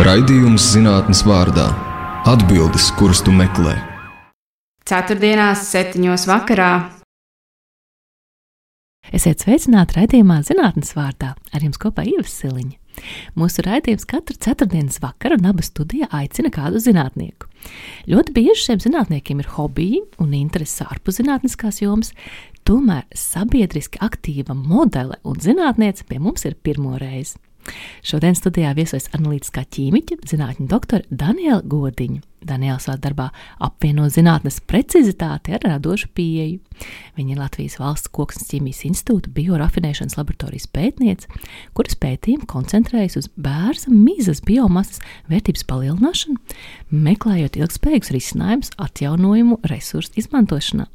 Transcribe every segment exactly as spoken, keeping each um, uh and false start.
Raidījums zinātnes vārdā. Atbildes, kuras tu meklē. Ceturtdienās, septiņos vakarā. Esiet sveicināti raidījumā zinātnes vārdā. Ar jums kopā Ieva Siliņa. Mūsu raidījums katru ceturtdienas vakaru un abas studijā aicina kādu zinātnieku. Ļoti bieži šiem zinātniekiem ir hobiji un intereses ārpus zinātniskās jomas, tomēr sabiedriski aktīva modele un zinātniece pie mums ir pirmo reizi. Šodien studijā viesojas analītiskā ķīmiķe, zinātņu doktore Daniela Godiņa. Daniela savā darbā apvieno zinātnes precizitāti ar radošu pieeju. Viņa ir Latvijas Valsts Koksnes ķīmijas institūta biorafinēšanas laboratorijas pētniece, kuras pētījumi koncentrējas uz bērza mizas biomasas vērtības palielināšanu, meklējot ilgspējīgus risinājumus atjaunojumu resursu izmantošanā.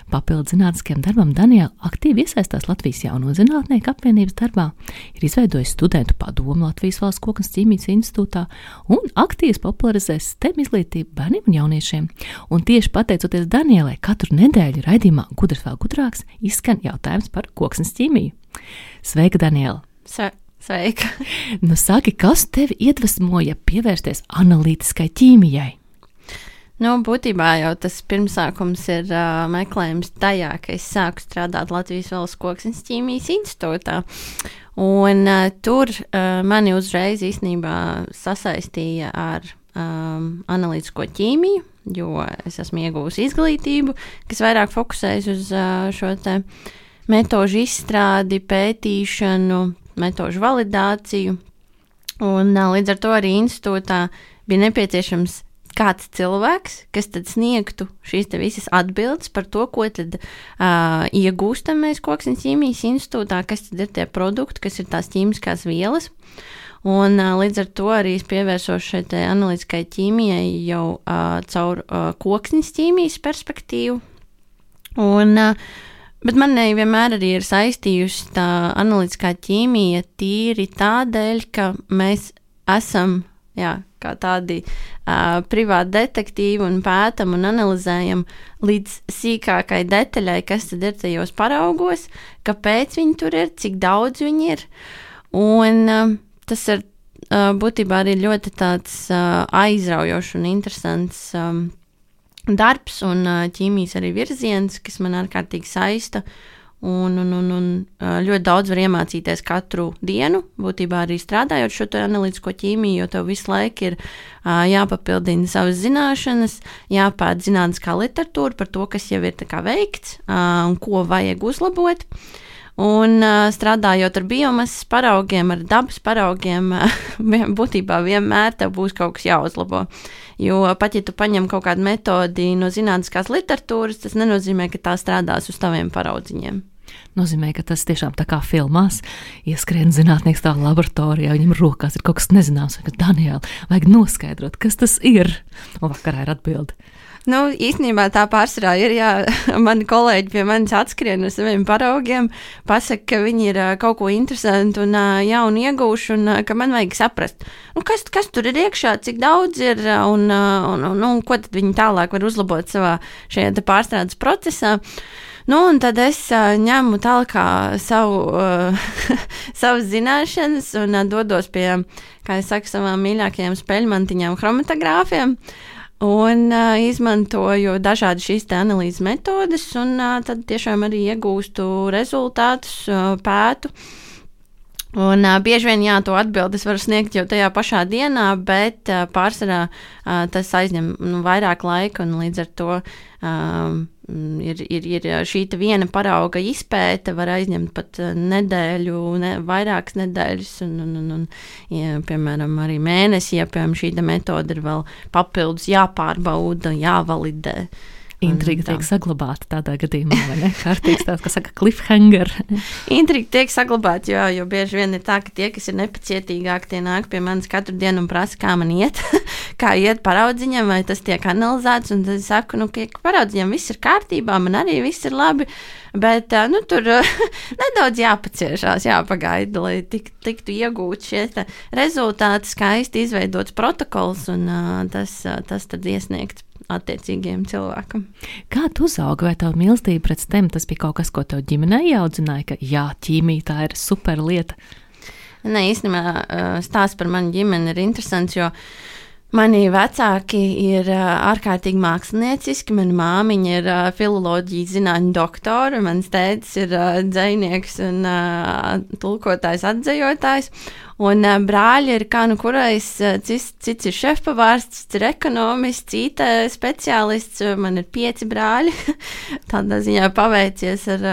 Papildu zinātniskajam darbam Daniela aktīvi iesaistās Latvijas Jauno zinātnieku apvienības darbā, ir izveidojis studentu padomu Latvijas Valsts Koksnes ķīmijas institūtā un aktīvi popularizē STEM izglītību bērniem un jauniešiem. Un tieši pateicoties Danielai, katru nedēļu raidījumā Gudrs vēl gudrāks izskan jautājums par koksnes ķīmiju. Sveika, Daniela! Sve, sveika! Nu saki, kas tevi iedvesmoja pievērsties analītiskai ķīmijai? Nu, būtībā jau tas pirmsākums ir uh, meklējums tajā, ka es sāku strādāt Latvijas Valsts Koksnes ķīmijas institūtā. Un uh, tur uh, mani uzreiz īstenībā sasaistīja ar um, analītisko ķīmiju, jo es esmu iegūsi izglītību, kas vairāk fokusējas uz uh, šo te metožu izstrādi, pētīšanu, metožu validāciju. Un uh, līdz ar to arī institūtā bija nepieciešams kāds cilvēks, kas tad sniegtu šīs te visas atbildes par to, ko tad uh, iegūstam mēs Koksnes ķīmijas institūtā, kas tad ir tie produkti, kas ir tās ķīmiskās vielas. Un uh, līdz ar to arī es pievērsos šai te analītiskai ķīmijai jau uh, caur uh, koksnes ķīmijas perspektīvu. Un, uh, bet manai vienmēr arī ir saistījusi tā analītiskā ķīmija tīri tādēļ, ka mēs esam jā, kā tādi uh, privāti detektīvi un pētam un analizējam līdz sīkākai detaļai, kas tad ir tajos paraugos, kāpēc viņi tur ir, cik daudz viņi ir. Un uh, tas ir uh, būtībā arī ļoti tāds uh, aizraujošs un interesants um, darbs un uh, ķīmijas arī virziens, kas man ārkārtīgi saista. Un, un, un, un ļoti daudz var iemācīties katru dienu, būtībā arī strādājot šo analītisko ķīmiju, jo tev visu laiku ir uh, jāpapildina savas zināšanas, jāpēt zinātniskā literatūra par to, kas jau ir tā kā veikts uh, un ko vajag uzlabot. Un uh, strādājot ar biomasas paraugiem, ar dabas paraugiem, uh, būtībā vienmēr tev būs kaut kas jāuzlabo. Jo pat ja tu paņem kaut kādu metodi no zinātniskās literatūras, tas nenozīmē, ka tā strādās uz taviem paraudziņiem. Nozīmē, ka tas tiešām tā kā filmās ieskrien zinātnieks tā laboratorijā, viņam rokās ir kaut kas nezināms, vai Daniela, vajag noskaidrot, kas tas ir. Un vakarā ir atbildi. Nu, īstenībā tā pārsvarā ir, jā, mani kolēģi pie manis atskrien uz saviem paraugiem, pasaka, ka viņi ir kaut ko interesantu un jaunu iegūšu un ka man vajag saprast, nu, kas, kas tur ir iekšā, cik daudz ir un, un, un, un ko tad viņi tālāk var uzlabot savā šajā pārstrādes procesā. Nu, un tad es uh, ņemu tālāk savu, uh, savas zināšanas un uh, dodos pie, kā es saku, savām mīļākajām speļmantiņām chromatogrāfiem un uh, izmantoju dažādi šīs te analīzes metodes un uh, tad tiešām arī iegūstu rezultātus, uh, pētu. Un uh, bieži vien, jā, to atbildes var sniegt jau tajā pašā dienā, bet uh, pārsvarā uh, tas aizņem nu, vairāk laika un līdz ar to um, ir, ir, ir šī viena parauga izpēte var aizņemt pat nedēļu, ne, vairākas nedēļas un, un, un, un ja, piemēram, arī mēnesi, ja piemēram šī metode ir vēl papildus jāpārbauda, jāvalidē. Intriga tiek saglabāta tādā gadījumā, vai ne? Kārtīgs tāds, kas saka cliffhanger. Intriga tiek saglabāta, jo, jo bieži vien ir tā, ka tie, kas ir nepacietīgāki, tie nāk pie manis katru dienu un prasa, kā man iet, kā iet paraudziņam, vai tas tiek analizēts, un tad es saku, nu, ka paraudziņam viss ir kārtībā, man arī viss ir labi, bet, nu, tur nedaudz jāpaciešās, jāpagaida, lai tik, tiktu iegūt šie rezultāti, skaisti izveidots protokols, un tas, tas tad iesniegts attiecīgiem cilvēkam. Kā tu uzaugi, vai tavu mīlestību pret STEM tas bija kaut kas, ko tev ģimenē ieaudzināja, ka jā, ķīmija tā ir super lieta? Nē, īstenībā stāsts par manu ģimeni ir interesants, jo mani vecāki ir ārkārtīgi mākslinieciski. Mana māmiņa ir filoloģijas zinātņu doktora, mans tētis ir dzejnieks un tulkotājs, atzejotājs. Un brāļi ir kā nu kurais, cits, cits ir šefpavārs, cits ir ekonomists, I T speciālists. Man ir pieci brāļi. Tādā ziņā paveicies ar...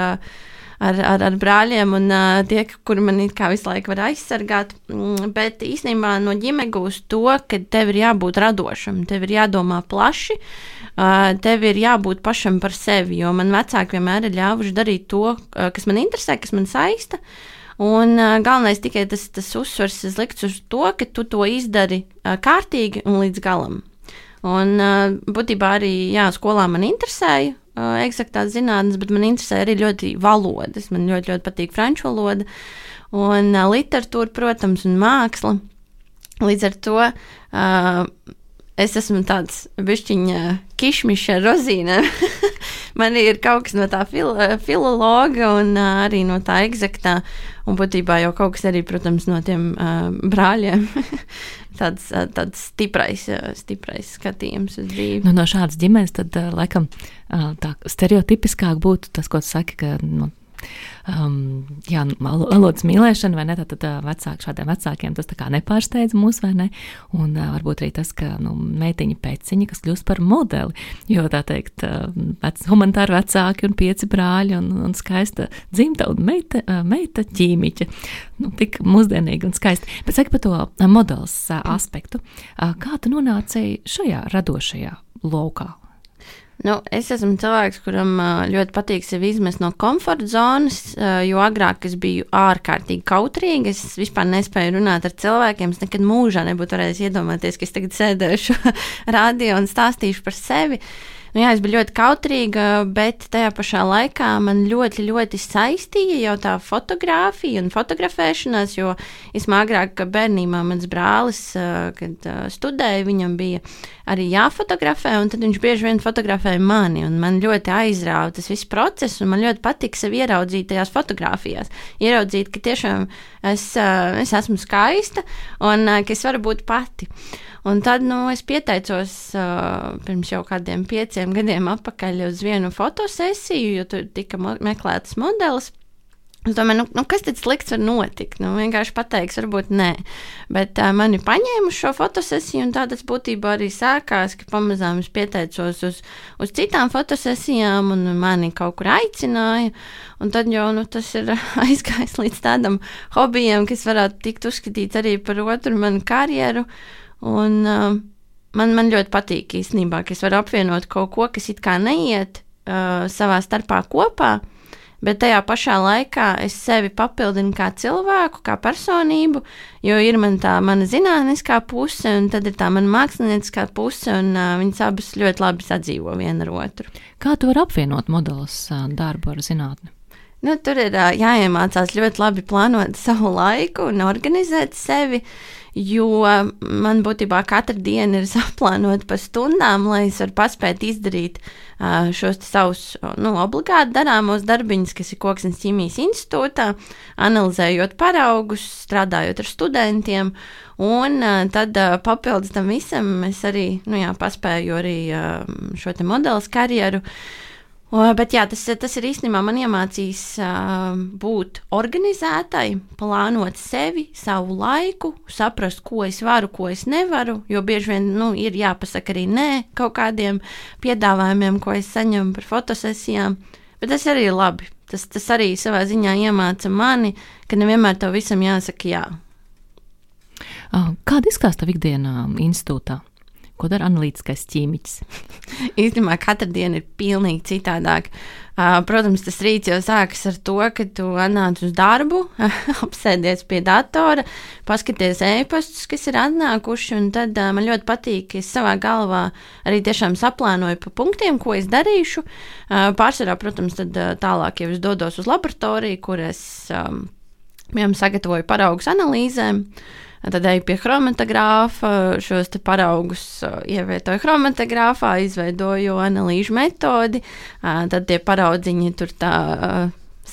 Ar, ar, ar brāļiem un uh, tie, kuri man it kā visu laiku var aizsargāt, mm, bet īstenībā no ģimenes gūst to, ka tev ir jābūt radošam, tev ir jādomā plaši, uh, tev ir jābūt pašam par sevi, jo man vecāki vienmēr ir ļāvuši darīt to, uh, kas man interesē, kas man saista, un uh, galvenais tikai tas, tas uzsvars likts uz to, ka tu to izdari uh, kārtīgi un līdz galam. Un uh, būtībā arī, jā, skolā man interesēja uh, eksaktās zinātnes, bet man interesē arī ļoti valodas. Man ļoti, ļoti patīk franču valoda un uh, literatūra, protams, un māksla. Līdz ar to uh, es esmu tāds bišķiņa kišmiša rozīne. Man ir kaut kas no tā fil- filologa un uh, arī no tā eksaktā. Un būtībā jau kaut kas arī, protams, no tiem uh, brāļiem. tāds, uh, tāds stiprais, uh, stiprais skatījums uz dzīvi. Nu, no šādas ģimenes tad, uh, laikam, uh, tā stereotipiskāk būtu tas, ko tu saki, ka, nu, um, jā, valodas mīlēšana, vai ne, tad, tad vecāki, šādiem vecākiem tas tā kā nepārsteidz mūs, vai ne, un uh, varbūt arī tas, ka, nu, meitiņa peciņa, kas kļūst par modeli, jo, tā teikt, uh, vec, humanitāri vecāki un pieci brāļi un, un skaista dzimta un meita, uh, meita ķīmiķa, nu, tik mūsdienīgi un skaisti. Bet saki par to uh, modelis uh, aspektu, uh, kā tu nonāci šajā radošajā laukā? Nu, es esmu cilvēks, kuram ļoti patīk sevi izmest no komforta zonas, jo agrāk es biju ārkārtīgi kautrīga. Es vispār nespēju runāt ar cilvēkiem. Es nekad mūžā nebūtu varējis iedomāties, ka es tagad sēdēšu radio un stāstīšu par sevi. Nu, jā, es biju ļoti kautrīga, bet tajā pašā laikā man ļoti, ļoti saistīja jau tā fotografija un fotografēšanās, jo es agrāk, ka bērnībā mans brālis, kad studēja, viņam bija arī jāfotografē, un tad viņš bieži vien fotografēja mani, un man ļoti aizrāva tas viss process, un man ļoti patika sevi ieraudzīt tajās fotografijās. Ieraudzīt, ka tiešām es, es esmu skaista, un ka es varu būt pati. Un tad, nu, es pieteicos uh, pirms jau kādiem pieciem gadiem atpakaļ uz vienu fotosesiju, jo tur tika mo- meklētas modelis. Es domāju, nu, nu kas tad slikts var notikt? Nu, vienkārši pateiks, varbūt nē. Bet uh, mani paņēma uz šo fotosesiju, un tā tas būtībā arī sākās, ka pamazām es pieteicos uz, uz citām fotosesijām, un mani kaut kur aicināja. Un tad jau nu, tas ir aizgājis līdz tādam hobijam, kas varētu tikt uzskatīts arī par otru manu karjeru. Un uh, man, man ļoti patīk īstenībā, ka es varu apvienot kaut ko, kas it kā neiet uh, savā starpā kopā, bet tajā pašā laikā es sevi papildinu kā cilvēku, kā personību, jo ir man tā mana zinātniskā puse, un tad ir tā mana mākslinieciskā puse, un uh, viņas abas ļoti labi sadzīvo viena ar otru. Kā tu vari apvienot modelis uh, darbu ar zinātni? Nu, tur ir uh, jāiemācās ļoti labi plānot savu laiku un organizēt sevi, jo man būtībā katra diena ir saplānota pa stundām, lai es varu paspēt izdarīt uh, šos savus nu, obligāti darāmos darbiņus, kas ir Koksnes ķīmijas institūtā, analizējot paraugus, strādājot ar studentiem, un uh, tad uh, papildus tam visam es arī nu, jā, paspēju arī uh, šo te modeles karjeru. O, bet jā, tas, tas ir īstenībā man iemācījis uh, būt organizētai, plānot sevi, savu laiku, saprast, ko es varu, ko es nevaru, jo bieži vien nu, ir jāpasaka arī nē kaut kādiem piedāvājumiem, ko es saņemu par fotosesijām, bet tas arī ir labi. Tas, tas arī savā ziņā iemāca mani, ka nevienmēr tev visam jāsaka jā. Kāda izskatās tavu ikdienā institūtā? Ko dara analītiskais ķīmiķis? Īstenībā katra diena ir pilnīgi citādāk. Uh, protams, tas rīts jau sākas ar to, ka tu atnāc uz darbu, apsēdies pie datora, paskaties e-pastus, kas ir atnākuši, un tad uh, man ļoti patīk, ka es savā galvā arī tiešām saplānoju pa punktiem, ko es darīšu. Uh, pārsvarā, protams, tad uh, tālāk jau es dodos uz laboratoriju, kur es um, piemēram sagatavoju paraugus analīzēm. Tad eju pie chromatogrāfa, šos te paraugus ievietoju chromatogrāfā, izveidoju analīžu metodi, tad tie paraudziņi tur tā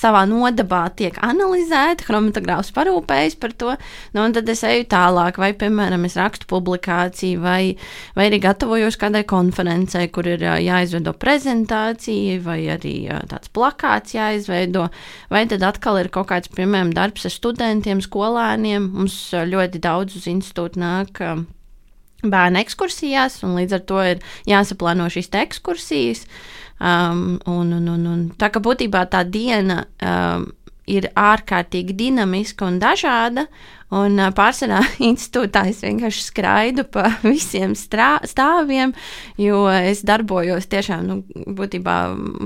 savā nodabā tiek analizēta, chromatogrāfs parūpējas par to, nu, un tad es eju tālāk, vai, piemēram, es rakstu publikāciju, vai, vai arī gatavojos kādai konferencei, kur ir jāizveido prezentācija, vai arī tāds plakāts jāizveido, vai tad atkal ir kaut kāds, piemēram, darbs ar studentiem, skolēniem. Mums ļoti daudz uz institūtu nāk bērnu ekskursijās, un līdz ar to ir jāsaplāno šīs te ekskursijas. Um, un, un, un, un tā kā būtībā tā diena um, ir ārkārtīgi dinamiska un dažāda, un uh, pārsvarā institūtā es vienkārši skraidu pa visiem strā, stāviem, jo es darbojos tiešām, nu, būtībā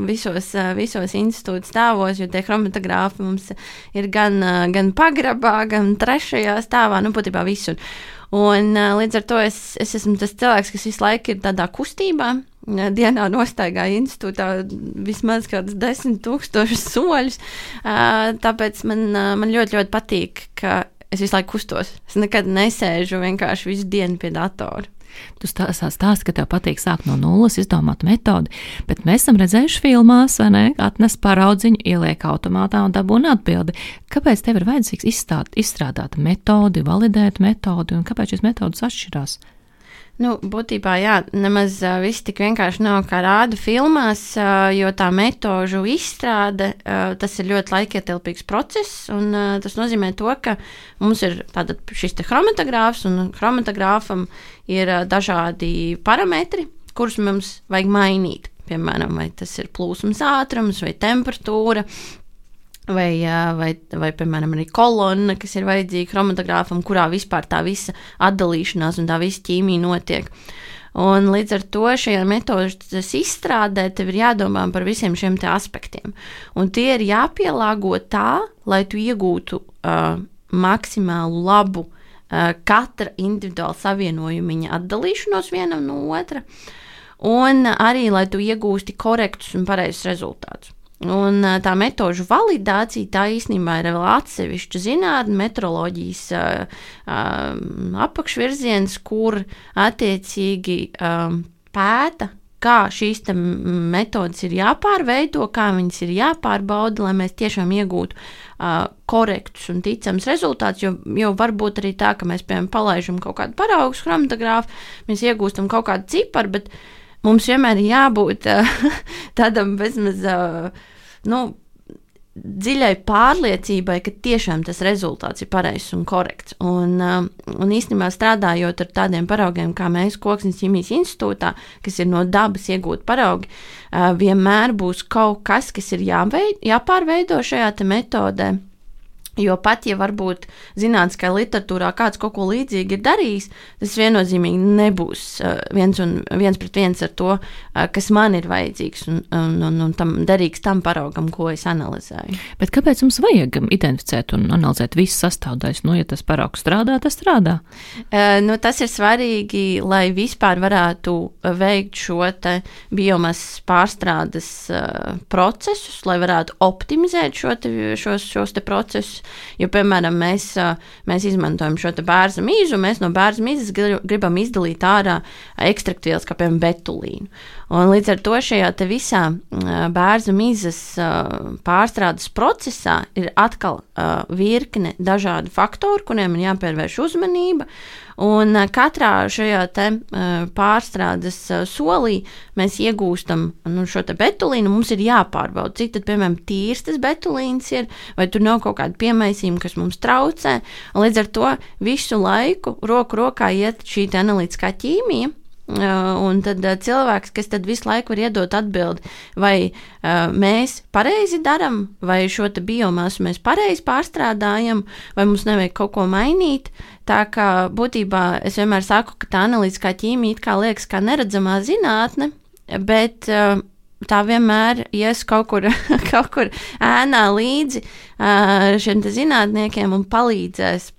visos, uh, visos institūta stāvos, jo tie chromatogrāfi mums ir gan, uh, gan pagrabā, gan trešajā stāvā, nu, būtībā visur. Un uh, līdz ar to es, es esmu tas cilvēks, kas visu laiku ir tādā kustībā. Dienā nostaigāju institūtā vismaz kādus desmit tūkstošus soļus, uh, tāpēc man, uh, man ļoti, ļoti patīk, ka es visu laiku kustos. Es nekad nesēžu vienkārši visu dienu pie datora. Tu stāsti, stāsti, ka tev patīk sākt no nulles, izdomāt metodi, bet mēs esam redzējuši filmās, vai ne, atnes paraudziņu, ieliek automātā un dabūna atbildi. Kāpēc tev ir vajadzīgs izstāt, izstrādāt metodi, validēt metodi, un kāpēc šīs metodas atšķirās? Nu, būtībā, jā, nemaz uh, viss tik vienkārši nav kā rāda filmās, uh, jo tā metožu izstrāde, uh, tas ir ļoti laikietilpīgs process, un uh, tas nozīmē to, ka mums ir tātad šis te chromatogrāfs, un chromatogrāfam ir uh, dažādi parametri, kurus mums vajag mainīt. Piemēram, vai tas ir plūsmas ātrums, vai temperatūra, Vai, vai, vai, piemēram, arī kolonna, kas ir vajadzīga chromatogrāfam, kurā vispār tā visa atdalīšanās un tā visa ķīmija notiek. Un līdz ar to šajā metodas izstrādē tev ir jādomā par visiem šiem te aspektiem. Un tie ir jāpielāgo tā, lai tu iegūtu uh, maksimālu labu uh, katra individuāla savienojumiņa atdalīšanos vienam no otra, un arī, lai tu iegūsti korektus un pareizus rezultātus. Un tā metožu validācija, tā īstenībā ir vēl atsevišķa zinātne, metroloģijas uh, uh, apakšvirziens, kur attiecīgi um, pēta, kā šīs metodas ir jāpārveido, kā viņas ir jāpārbauda, lai mēs tiešām iegūtu uh, korektus un ticams rezultātus, jo, jo varbūt arī tā, ka mēs, piemēram, palaižam kaut kādu paraugu chromatogrāfu, mēs iegūstam kaut kādu ciparu, bet mums vienmēr ir jābūt uh, tādam bezmaz, uh, nu, dziļai pārliecībai, ka tiešām tas rezultāts ir pareizs un korekts. Un, uh, un īstenībā strādājot ar tādiem paraugiem, kā mēs Koksnes ķīmijas institūtā, kas ir no dabas iegūt paraugi, uh, vienmēr būs kaut kas, kas ir jāveid, jāpārveido šajā te metodē. Jo pat, ja varbūt zinātniskajā literatūrā kāds kaut ko līdzīgi ir darījis, tas viennozīmīgi nebūs uh, viens, un, viens pret viens ar to, uh, kas man ir vajadzīgs un, un, un, un tam derīgs tam paraugam, ko es analizēju. Bet kāpēc mums vajag identificēt un analizēt visas sastāvdaļas? Nu, ja tas paraugs strādā, tas strādā. Uh, nu, tas ir svarīgi, lai vispār varētu veikt šo te biomasas pārstrādes uh, procesus, lai varētu optimizēt šo te, šos, šos te procesus. Jo, piemēram, mēs, mēs izmantojam šo te bērza mīzu, mēs no bērza mīzes gribam izdalīt ārā ekstraktvielas, kā piemēram betulīnu. Un līdz ar to šajā te visā bērza mīzes pārstrādes procesā ir atkal virkne dažādu faktoru, kuriem ir jāpievērš uzmanība. Un katrā šajā te pārstrādes solī mēs iegūstam nu, šo te betulīnu, mums ir jāpārbauda, cik tad, piemēram, tīrs tas betulīns ir, vai tur nav kaut kāda piemaisījuma, kas mums traucē. Un līdz ar to visu laiku roku rokā iet šī te analītiskā ķīmija, un tad cilvēks, kas tad visu laiku var iedot atbildi, vai uh, mēs pareizi daram, vai šo te biomasu mēs pareizi pārstrādājam, vai mums nevajag kaut ko mainīt. Tā kā būtībā es vienmēr saku, ka tā analītiskā ķīmija it kā liekas kā neredzamā zinātne, bet uh, tā vienmēr ies kaut kur, kaut kur ēnā līdzi uh, šiem te zinātniekiem un palīdzēs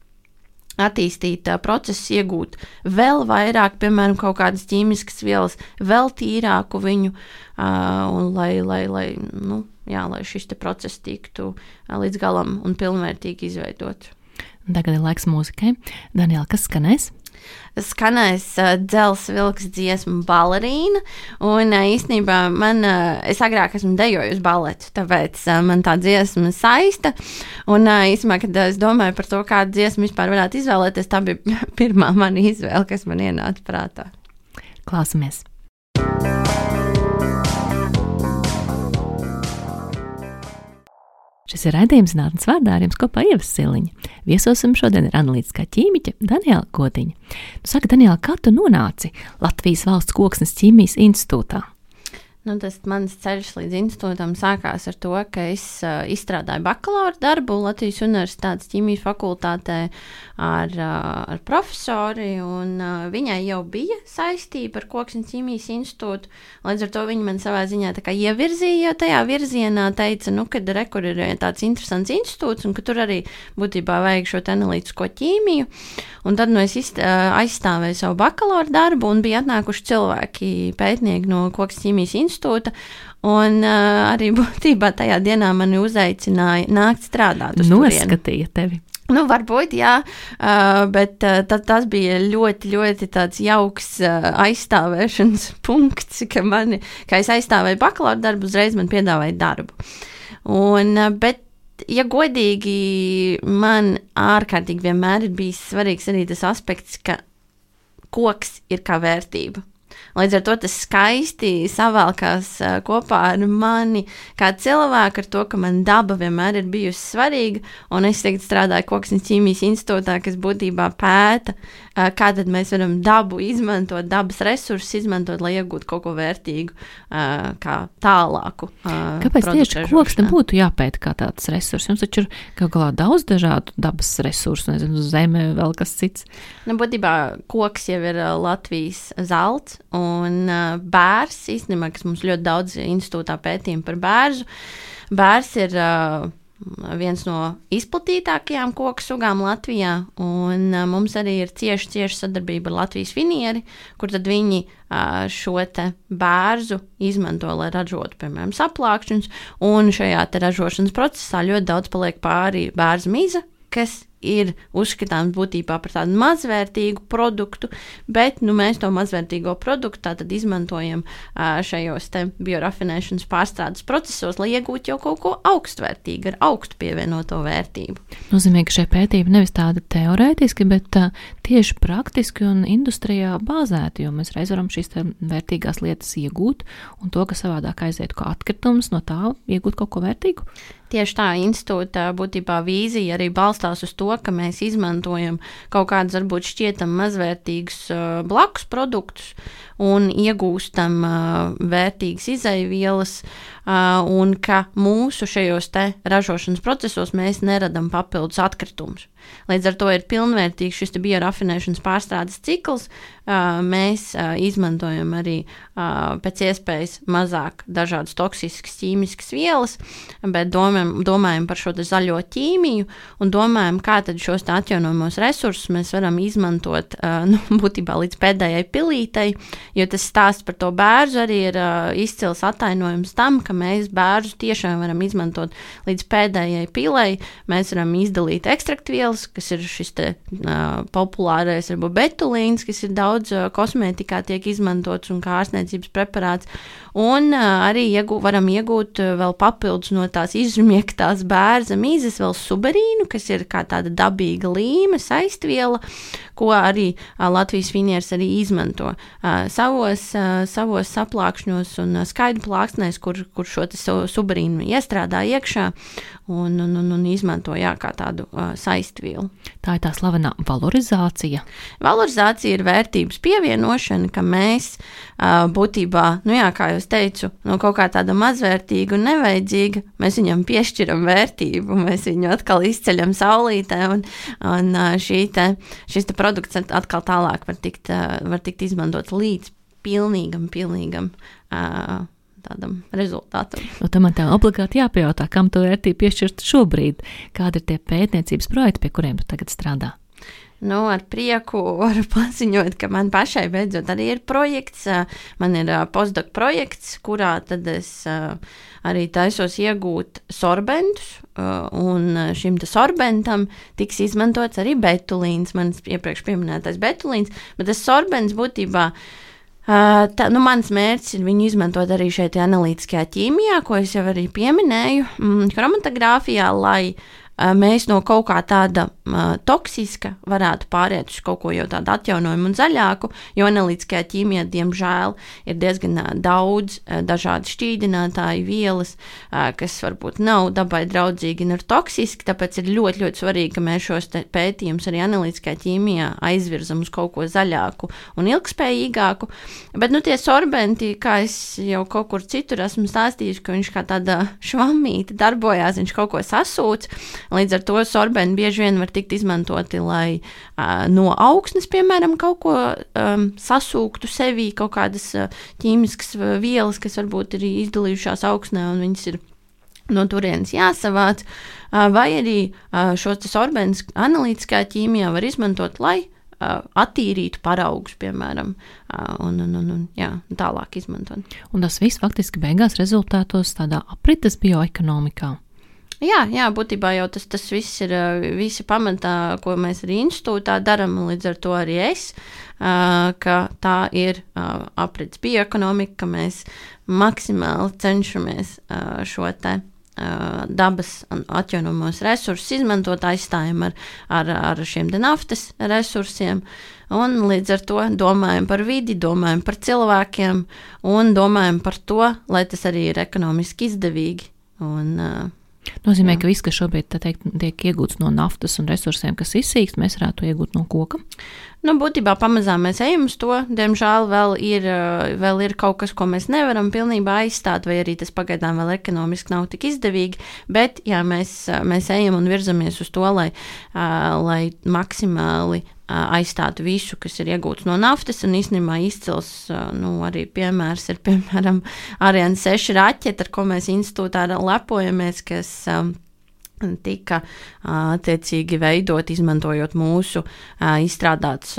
attīstīt uh, procesu, iegūt vēl vairāk, piemēram, kaut kādas ķīmiskas vielas, vēl tīrāku viņu, uh, un lai, lai, lai, nu, jā, lai šis te process tiktu uh, līdz galam un pilnvērtīgi izveidot. Tagad ir laiks mūzikai. Daniela, kas skanēs? Skanēs uh, Dzels vilks dziesma Balerīna, un uh, īstenībā man, uh, es agrāk esmu dejojusi baletu, tāpēc uh, man tā dziesma saista, un uh, īstenībā, kad uh, es domāju par to, kādu dziesmu vispār varētu izvēlēties, tā bija pirmā mana izvēle, kas man ienāca prātā. Klausamies! Šis ir raidījums Zinātnes vārdā, ar jums kopā Ieva Siliņa. Viesosim šodien ir analītiskā ķīmiķe Daniela Godiņa. Nu, saka, Daniela, kā tu nonāci Latvijas Valsts Koksnes ķīmijas institūtā? Nu, tas mans ceļš līdz institūtam sākās ar to, ka es uh, izstrādāju bakalaura darbu Latvijas Universitātes ķīmijas fakultātē ar, uh, ar profesori, un uh, viņai jau bija saistība ar Koksnes ķīmijas institūtu. Līdz ar to viņa man savā ziņā tā kā ievirzīja tajā virzienā, teica, nu, kad re, kur ir tāds interesants institūts, un ka tur arī būtībā vajag šo analītisko ķīmiju. Un tad nu, es izst, uh, aizstāvēju savu bakalaura darbu, un bija atnākuši cilvēki, pētnieki no Koksnes ķīmijas institūta. Un uh, arī būtībā tajā dienā mani uzaicināja nākt strādāt uz turieni. Noskatīja tevi. Nu, varbūt, jā, uh, bet uh, tad, tas bija ļoti, ļoti tāds jauks uh, aizstāvēšanas punkts, ka, mani, ka es aizstāvēju bakalaura darbu, uzreiz man piedāvāja darbu. Un, uh, bet, ja godīgi, man ārkārtīgi vienmēr ir bijis svarīgs arī tas aspekts, ka koks ir kā vērtība. Līdz ar to tas skaisti savalkās uh, kopā ar mani kā cilvēku, ar to, ka man daba vienmēr ir bijusi svarīga, un es tagad strādāju Koksnes ķīmijas institūtā, kas būtībā pēta, uh, kā tad mēs varam dabu izmantot, dabas resursus izmantot, lai iegūtu kaut ko vērtīgu, uh, kā tālāku. Uh, Kāpēc tieši koks nebūtu jāpēta kā tāds resurs? Jums taču ir kaut galā daudz dažādu dabas resursu, nezinu, zeme, vēl kas cits. Nu, būtībā koks jau ir uh, Latvijas zelts, un uh, bērs, īstenībā, kas mums ļoti daudz institūtā pētījumi par bērzu. Bērs ir uh, viens no izplatītākajām koku sugām Latvijā, un uh, mums arī ir cieši, cieši sadarbība ar Latvijas Finieri, kur tad viņi uh, šo te bērzu izmanto, lai ražotu, piemēram, saplākšņus, un šajā te ražošanas procesā ļoti daudz paliek pāri bērza miza, kas ir uzskatāms būtībā par tādu mazvērtīgu produktu, bet nu, mēs to mazvērtīgo produktu tātad izmantojam uh, šajos te biorafinēšanas pārstrādes procesos, lai iegūtu jau kaut ko augstvērtīgu, ar augstu pievienoto vērtību. Nozīmē, ka šie pētījumi nevis tādi teorētiski, bet uh, tieši praktiski un industrijā bāzēti, jo mēs reiz varam šīs vērtīgās lietas iegūt, un to, ka savādāk aizietu kā atkritums, no tā iegūt kaut ko vērtīgu. Tieši tā institūta būtībā vīzija arī balstās uz to, ka mēs izmantojam kaut kādus varbūt šķietam mazvērtīgus uh, blakus produktus un iegūstam uh, vērtīgas izaivielas, uh, un ka mūsu šajos te ražošanas procesos mēs neradam papildus atkritumus. Līdz ar to ir pilnvērtīgs šis te biorafinēšanas pārstrādes cikls. Uh, mēs uh, izmantojam arī uh, pēc iespējas mazāk dažādas toksiskas ķīmiskas vielas, bet domājam, domājam par šo te zaļo ķīmiju un domājam, kā tad šos te atjaunojamos resursus mēs varam izmantot uh, nu, būtībā līdz pēdējai pilītei, jo tas stāsts par to bērzu arī ir uh, izcils attainojums tam, ka mēs bērzu tiešām varam izmantot līdz pēdējai pilei. Mēs varam izdalīt ekstraktvielas, kas ir šis te uh, populārais varbūt betulīns, kas ir daudz uh, kosmētikā tiek izmantots un kā ārstniecības preparāts, un uh, arī iegūt, varam iegūt uh, vēl papildus no tās izžmiektās bērza mīzes vēl suberīnu, kas ir kā tāda dabīga līme, saistviela, ko arī uh, Latvijas Finieris arī izmanto uh, savos, uh, savos saplākšņos un uh, skaidu plāksnēs, kur, kur šo te suberīnu iestrādā iekšā un, un, un, un izmanto jā, kā tādu uh, saistvielu. Tā ir tā slavenā valorizācija. Valorizācija ir vērtības pievienošana, ka mēs uh, būtībā, nu jā, kā jūs teicu, no kaut kā tāda mazvērtīga un nevajadzīga, mēs viņam piešķiram vērtību, mēs viņu atkal izceļam saulītē, un, un uh, šī te, šis te produkts atkal tālāk var tikt, uh, var tikt izmantot līdz pilnīgam, pilnīgam uh, tādam rezultātam. Nu, tam man tā obligāti jāpajautā, kam to vērtību piešķirt šobrīd, kādi ir tie pētniecības projekti, pie kuriem tu tagad strādā? Nu, ar prieku varu paziņot, ka man pašai beidzot arī ir projekts. Man ir postdoc projekts, kurā tad es arī taisos iegūt sorbentus, un šim te sorbentam tiks izmantots arī betulīns, manis iepriekš pieminētais betulīns, bet tas sorbents būtībā Uh, tā, nu, mans mērķis ir viņu izmantot arī šeit analītiskajā ķīmijā, ko es jau arī pieminēju, mm, chromatogrāfijā, lai uh, mēs no kaut kā tāda uh, toksiska varētu pāriet uz kaut ko jau tādu atjaunojumu un zaļāku, jo analītiskajā ķīmijā, diemžēl, ir diezgan uh, daudz uh, dažādi šķīdinātāji vielas, uh, kas varbūt nav dabai draudzīgi un ir toksiski, tāpēc ir ļoti, ļoti svarīgi, ka mēs šos pētījumus arī analītiskajā ķīmijā aizvirzam uz kaut ko zaļāku un ilgspējīgāku. Bet, nu, tie sorbenti, kā es jau kaut kur citur esmu stāstījis, ka viņš kā tāda švammīte darbojās, viņš kaut ko sasūc, līdz ar to sorbenti bieži vien var tikt izmantoti, lai uh, no augsnes, piemēram, kaut ko um, sasūktu sevī, kaut kādas uh, ķīmiskas vielas, kas varbūt ir izdalījušās augsnē un viņas ir no turienes jāsavāc, uh, vai arī uh, šos sorbentus analītiskā ķīmijā var izmantot, lai Uh, attīrītu paraugus, piemēram, uh, un, un, un, un jā, tālāk izmantot. Un tas viss faktiski beigās rezultātos tādā aprites bioekonomikā. Jā, jā, būtībā jau tas, tas viss ir uh, visi pamatā, ko mēs arī institūtā daram, un līdz ar to arī es, uh, ka tā ir uh, aprites bioekonomika, ka mēs maksimāli cenšamies uh, šo te dabas atjaunojamos resursus izmantot, aizstājam ar, ar, ar šiem te naftas resursiem, un līdz ar to domājam par vidi, domājam par cilvēkiem, un domājam par to, lai tas arī ir ekonomiski izdevīgi. Un, nozīmē, jā. Ka viss, kas šobrīd tā teikt, tiek iegūts no naftas un resursiem, kas izsīkst, mēs varētu iegūt no koka? Nu, būtībā pamazām mēs ejam uz to. Diemžēl vēl ir, vēl ir kaut kas, ko mēs nevaram pilnībā aizstāt, vai arī tas pagaidām vēl ekonomiski nav tik izdevīgi, bet jā, mēs, mēs ejam un virzamies uz to, lai, lai maksimāli aizstātu visu, kas ir iegūts no naftas, un īstenībā izcils, nu, arī piemērs ir, piemēram, Ariane seši raķete, ar ko mēs institūtā lepojamies, kas tika attiecīgi veidot, izmantojot mūsu izstrādāts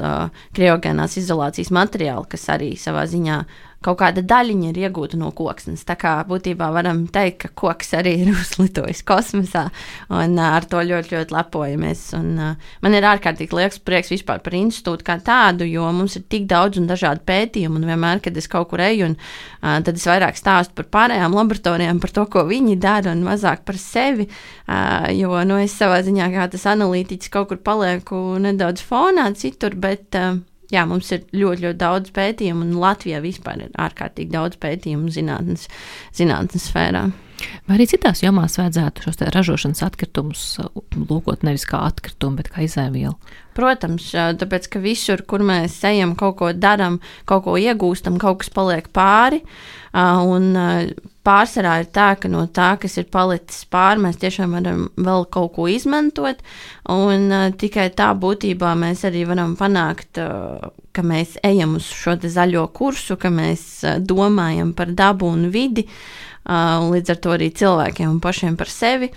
kriogēnās izolācijas materiālu, kas arī savā ziņā kaut kāda daļiņa ir iegūta no koksnes. Tā kā būtībā varam teikt, ka koks arī ir uzlitojis kosmosā, un ar to ļoti, ļoti lepojamies. Un, man ir ārkārtīgi liels prieks vispār par institūtu kā tādu, jo mums ir tik daudz un dažādi pētījumi, un vienmēr, kad es kaut kur eju, un tad es vairāk stāstu par pārējām laboratorijām, par to, ko viņi dara, un mazāk par sevi, jo, nu, es savā ziņā kā tas analītiķis kaut kur palieku nedaudz fonā citur, bet jā, mums ir ļoti, ļoti daudz pētījumu, un Latvijā vispār ir ārkārtīgi daudz pētījumu zinātnes, zinātnes sfērā. Vai arī citās jomās vajadzētu šos te ražošanas atkritumus lūkot nevis kā atkritumu, bet kā izēvielu? Protams, tāpēc, ka visur, kur mēs ejam, kaut ko daram, kaut ko iegūstam, kaut kas paliek pāri, un pārsvarā ir tā, ka no tā, kas ir palicis pāri, mēs tiešām varam vēl kaut ko izmantot, un tikai tā būtībā mēs arī varam panākt, ka mēs ejam uz šo te zaļo kursu, ka mēs domājam par dabu un vidi, un līdz ar to arī cilvēkiem un pašiem par sevi.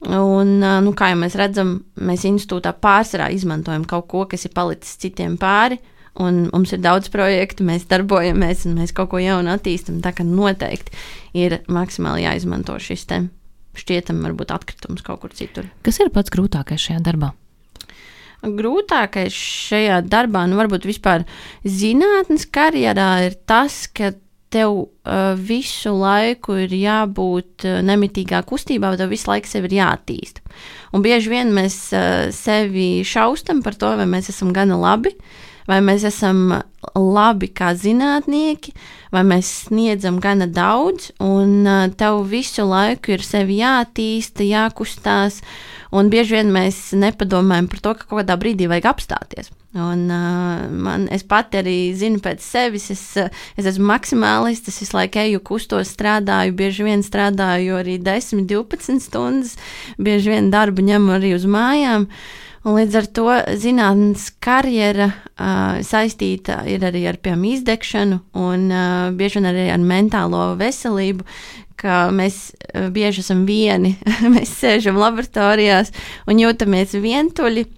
Un, nu, kā jau mēs redzam, mēs institūtā pārsvarā izmantojam kaut ko, kas ir palicis citiem pāri, un mums ir daudz projektu, mēs darbojamies un mēs kaut ko jaunu attīstam, tā ka noteikti ir maksimāli jāizmanto šis te šķietam varbūt atkritums kaut kur citur. Kas ir pats grūtākais šajā darbā? Grūtākais šajā darbā, nu varbūt vispār zinātnes karjerā ir tas, ka tev uh, visu laiku ir jābūt uh, nemitīgā kustībā, bet tev visu laiku sevi ir jāattīst. Un bieži vien mēs uh, sevi šaustam par to, vai mēs esam gana labi, vai mēs esam labi kā zinātnieki, vai mēs sniedzam gana daudz, un uh, tev visu laiku ir sevi jāattīsta, jākustās, un bieži vien mēs nepadomājam par to, ka kaut kādā brīdī vajag apstāties. Un uh, man, es pati arī zinu pēc sevis, es, es esmu maksimālists, es visu laiku eju, kustos, strādāju, bieži vien strādāju arī desmit, divpadsmit stundas, bieži vien darbu ņemu arī uz mājām, un līdz ar to zinātnes karjera uh, saistīta ir arī ar, piemēram, izdegšanu, un uh, bieži vien arī ar mentālo veselību, ka mēs uh, bieži esam vieni, mēs sēžam laboratorijās un jūtamies vientuļi.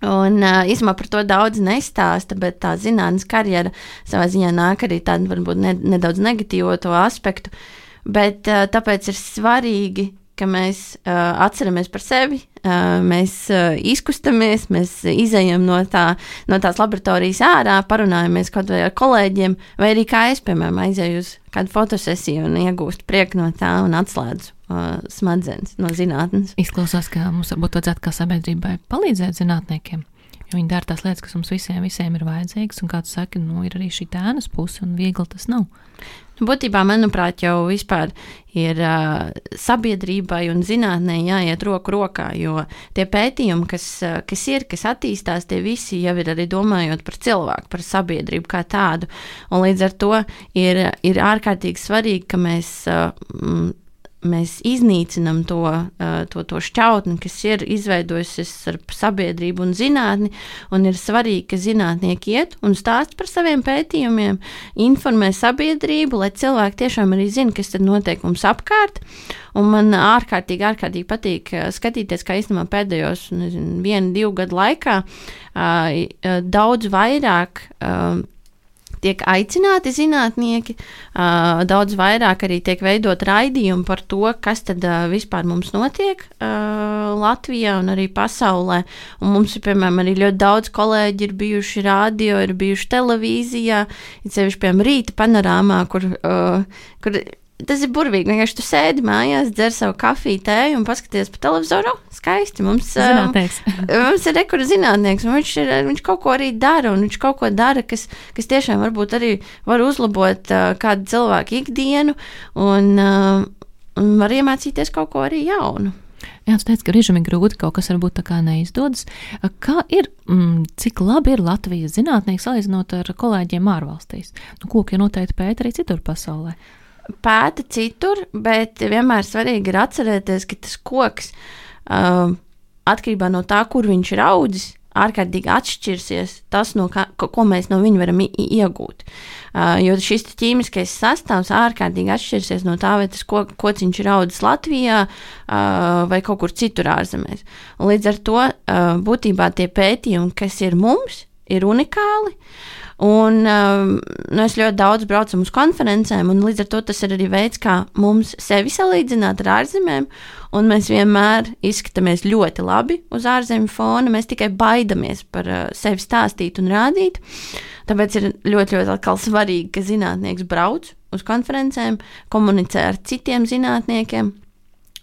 Un uh, īsumā par to daudz nestāsta, bet tā zinātnes karjera savā ziņā nāk arī tādu varbūt ne, nedaudz negatīvo to aspektu, bet uh, tāpēc ir svarīgi, ka mēs uh, atceramies par sevi, uh, mēs uh, izkustamies, mēs izejam no, tā, no tās laboratorijas ārā, parunājamies kaut vai ar kolēģiem, vai arī kā es, piemēram, aizēju uz kādu fotosesiju un iegūstu prieku no tā un atslēdzu uh, smadzenes no zinātnes. Izklausās, ka mums varbūt vajadzētu kā sabiedrībai palīdzēt zinātniekiem, jo viņi dara tās lietas, kas mums visiem, visiem ir vajadzīgas, un kā tu saki, nu, ir arī šī tēnas puse, un viegli tas nav. Būtībā, manuprāt, jau vispār ir uh, sabiedrībai un zinātnē jāiet roku rokā, jo tie pētījumi, kas, uh, kas ir, kas attīstās, tie visi jau ir arī domājot par cilvēku, par sabiedrību kā tādu. Un līdz ar to ir, ir ārkārtīgi svarīgi, ka mēs, uh, mēs iznīcinam to, uh, to, to šķautni, kas ir izveidojusies ar sabiedrību un zinātni, un ir svarīgi, ka zinātnieki iet un stāst par saviem pētījumiem, informē sabiedrību, lai cilvēki tiešām arī zina, kas tad notiek mums apkārt, un man ārkārtīgi, ārkārtīgi patīk skatīties, kā īstenībā pēdējos, nezinu, vienu, divu gadu laikā uh, daudz vairāk uh, tiek aicināti zinātnieki, uh, daudz vairāk arī tiek veidot raidījumi par to, kas tad uh, vispār mums notiek uh, Latvijā un arī pasaulē. Un mums ir, piemēram, arī ļoti daudz kolēģi ir bijuši radio, ir bijuši televīzijā, ir sevišķi, piemēram, Rīta panorāmā, kur, uh, kur tas ir burvīgi. Vienkārši tu sēdi mājās, dzer savu kafiju, tēju un paskaties pa televizoru. Skaisti. Mums, Zinātnieks. mums ir rekords zinātnieks, un viņš, ir, viņš kaut ko arī dara, un viņš kaut ko dara, kas, kas tiešām varbūt arī var uzlabot uh, kādu cilvēku ikdienu, un, uh, un var iemācīties kaut ko arī jaunu. Jā, tu teici, ka režim ir grūti, kaut kas varbūt tā kā neizdodas. Kā ir, mm, cik labi ir Latvijas zinātnieki salīdzinot ar kolēģiem ārvalstīs? Nu, koki noteikti pēta arī citur pasaulē. Pēta citur, bet vienmēr svarīgi ir atcerēties, ka tas koks uh, atkarībā no tā, kur viņš ir audzis, ārkārtīgi atšķirsies tas, no kā, ko mēs no viņa varam iegūt. Uh, jo šis ķīmiskais sastāvs ārkārtīgi atšķirsies no tā, vai tas ko, kociņš ir audzis Latvijā uh, vai kaut kur citur ārzemēs. Un līdz ar to uh, būtībā tie pētījumi, kas ir mums, ir unikāli. Un um, nu es ļoti daudz braucam uz konferencēm, un līdz ar to tas ir arī veids, kā mums sevi salīdzināt ar ārzemēm, un mēs vienmēr izskatāmies ļoti labi uz ārzemju fona, mēs tikai baidamies par uh, sevi stāstīt un rādīt, tāpēc ir ļoti, ļoti atkal svarīgi, ka zinātnieks brauc uz konferencēm, komunicē ar citiem zinātniekiem.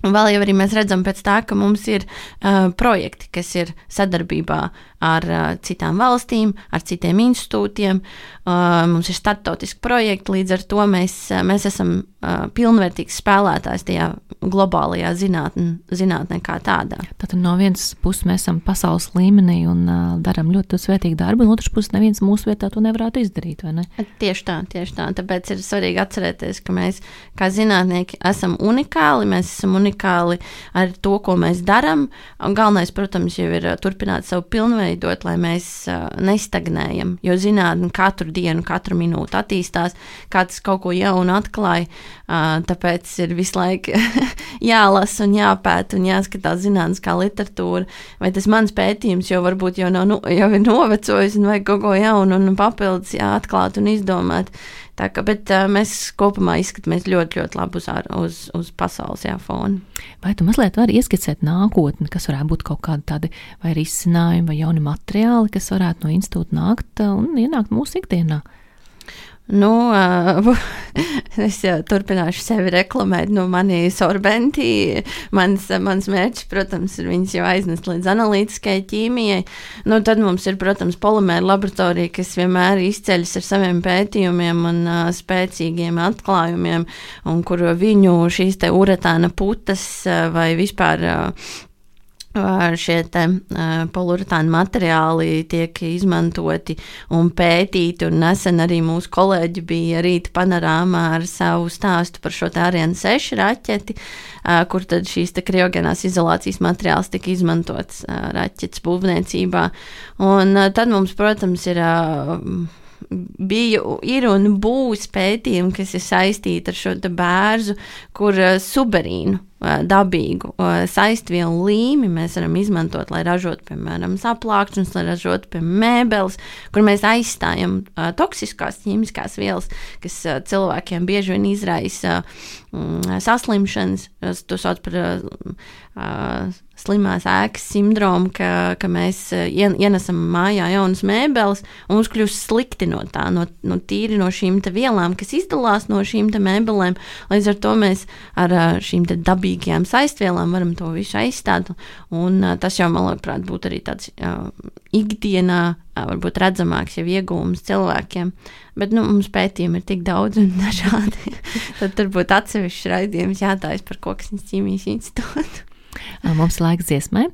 Un vēl jau arī mēs redzam pēc tā, ka mums ir uh, projekti, kas ir sadarbībā ar uh, citām valstīm, ar citiem institūtiem. Uh, mums ir starptautiski projekti, līdz ar to mēs, uh, mēs esam uh, pilnvērtīgs spēlētājs tajā globālajā zinātnē, zinātnē kā tādā. Tātad no vienas puses mēs esam pasaules līmenī un uh, darām ļoti svētīgu darbu, un otrs puses neviens mūsu vietā to nevarētu izdarīt, vai ne? Tieši tā, tieši tā. Tāpēc ir svarīgi atcerēties, ka mēs kā zinātnieki esam unikāli, mēs esam unikāli unikāli ar to, ko mēs darām. Galvenais, protams, jau ir turpināt savu pilnveidot, lai mēs uh, nestagnējam, jo zinātne katru dienu, katru minūti attīstās, kāds kaut ko jaunu atklāja, uh, tāpēc ir visu laiku jālasa un jāpēta un jāskatās zinātniskā literatūra, vai tas mans pētījums jau varbūt jau, nav, nu, jau ir novecojis un vajag kaut ko jaunu un papildus jāatklāt un izdomāt. Tā kā, bet uh, mēs kopumā izskatāmies ļoti, ļoti labi uz, uz, uz pasaules jā, fona. Vai tu mazliet vari ieskicēt nākotni, kas varētu būt kaut kādi tādi vai risinājumi vai jauni materiāli, kas varētu no institūta nākt un ienākt mūsu ikdienā? Nu, uh, es jau turpināšu sevi reklamēt, nu, mani sorbenti, mans, mans mērķis, protams, ir viņas jau aiznest līdz analītiskai ķīmijai. Nu, tad mums ir, protams, polimēra laboratorija, kas vienmēr izceļas ar saviem pētījumiem un uh, spēcīgiem atklājumiem, un kur viņu šīs te uretāna putas uh, vai vispār uh, šie te uh, poliuretāna materiāli tiek izmantoti un pētīti, un nesen arī mūsu kolēģi bija Rīta panorāmā ar savu stāstu par šo te Ariane seši raķeti, uh, kur tad šīs te kriogenās izolācijas materiāls tika izmantots uh, raķetes būvniecībā. Un uh, tad mums, protams, ir uh, bija, ir un būs pētījumi, kas ir saistīti ar šo te bērzu, kur uh, suberīnu dabīgu saistvielu līmi mēs varam izmantot, lai ražotu, piemēram, saplākšanas, lai ražotu, piemēram, mēbeles, kur mēs aizstājam toksiskās ķīmiskās vielas, kas cilvēkiem bieži vien izraisa saslimšanas, to sauc par slimās ēkas sindromu, ka, ka mēs ienesam mājā jaunas mēbeles un mums kļūst slikti no tā, no, no tīri no šīm te vielām, kas izdalās no šīm te mēbelēm. Līdz ar to mēs ar šīm te dabīgajām saistvielām varam to visu aizstāt, un tas jau, man liekas, būtu arī tāds uh, ikdienā, uh, varbūt redzamāks jau iegūms cilvēkiem. Bet, nu, mums pētījumi ir tik daudz un dažādi. Tad tur būtu atsevišķs raidījums jātājas par Koksnes ķīmijas institūtu. Mums laiks dziesmai.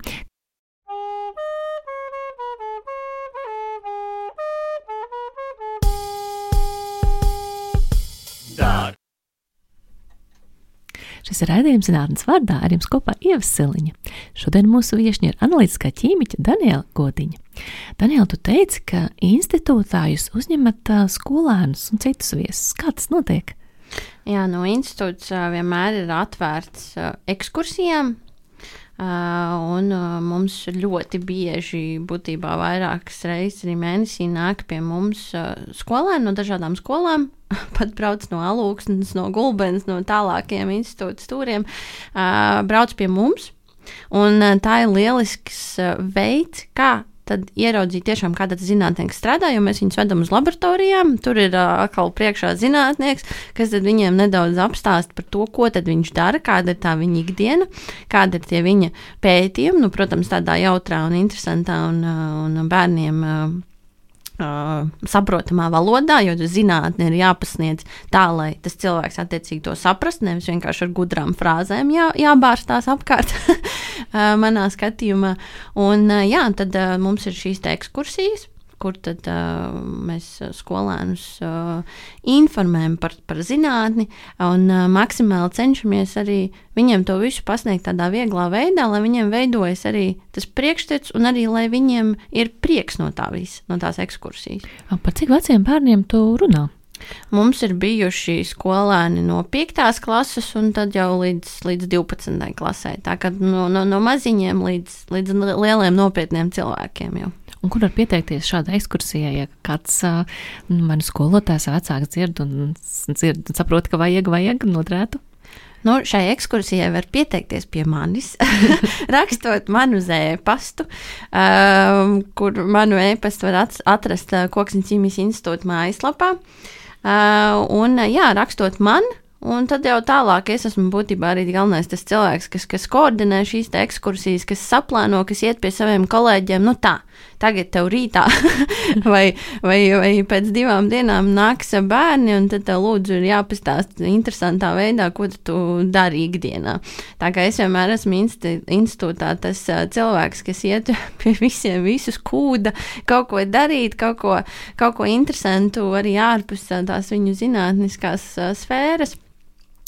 Šis ir raidījums Zinātnes vārdā, ar jums kopā Ieva Siliņa. Šodien mūsu viešņa ir analītiskā ķīmiķe Daniela Godiņa. Daniela, tu teici, ka institūtā jūs uzņemat skolēnus un citus viesus. Kā tas notiek? Jā, no institūts vienmēr ir atvērts ekskursijām, un mums ļoti bieži, būtībā vairākas reizes arī mēnesī nāk pie mums skolēni no dažādām skolām, pat brauc no Alūksnes, no Gulbenes, no tālākiem institūta stūriem, brauc pie mums, un tā ir lielisks veids, kā tad ieraudzīt tiešām, kāda zinātnieks strādā, jo mēs viņus vedam uz laboratorijām, tur ir uh, atkal priekšā zinātnieks, kas tad viņiem nedaudz apstāst par to, ko tad viņš dara, kāda ir tā viņa ikdiena, kāda ir tie viņa pētījumi, nu, protams, tādā jautrā un interesantā un, un bērniem uh, Uh, saprotamā valodā, jo zinātne ir jāpasniedz tā, lai tas cilvēks attiecīgi to saprast, nevis vienkārši ar gudrām frāzēm jā, jābārstās apkārt uh, manā skatījumā. Un uh, jā, tad uh, mums ir šīs te ekskursijas, kur tad uh, mēs skolēnus uh, informējam par, par zinātni un uh, maksimāli cenšamies arī viņiem to visu pasniegt tādā vieglā veidā, lai viņiem veidojas arī tas priekšstats un arī, lai viņiem ir prieks no tā visa, no tās ekskursijas. Par cik veciem bērniem tu runā? Mums ir bijuši skolēni no piektās klases un tad jau līdz, līdz divpadsmitai klasē, tā kā no, no, no maziņiem līdz, līdz lieliem nopietniem cilvēkiem jau. Un kur var pieteikties šādai ekskursijai, ja kāds mani skolotājs vecāks dzird un dzird, saprot, ka vajag, vajag noderētu? Nu, šai ekskursijai var pieteikties pie manis, rakstot manu uz e-pastu, um, kur manu e-pastu var atrast Koksnes ķīmijas institūta mājaslapā. Uh, un, jā, rakstot man, un tad jau tālāk es esmu būtībā arī galvenais tas cilvēks, kas, kas koordinē šīs te ekskursijas, kas saplāno, kas iet pie saviem kolēģiem, nu tā, tagad tev rītā vai, vai, vai pēc divām dienām nāks bērni, un tad tev lūdzu ir jāpastāst interesantā veidā, ko tu dari ikdienā. Tā kā es vienmēr esmu institūtā tas cilvēks, kas iet pie visiem visus kūda, kaut ko darīt, kaut ko, kaut ko interesantu arī ārpus tās viņu zinātniskās sfēras.